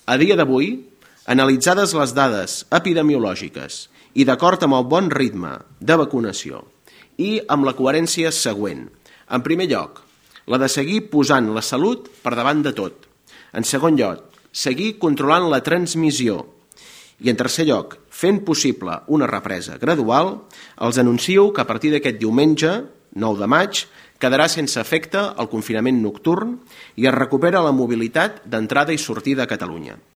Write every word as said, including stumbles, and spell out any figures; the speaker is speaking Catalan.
A dia d'avui, analitzades les dades epidemiològiques i d'acord amb el bon ritme de vacunació i amb la coherència següent. En primer lloc, la de seguir posant la salut per davant de tot. En segon lloc, seguir controlant la transmissió. I en tercer lloc, fent possible una represa gradual, els anuncio que a partir d'aquest diumenge, nou de maig, quedarà sense efecte el confinament nocturn i es recupera la mobilitat d'entrada i sortida a Catalunya.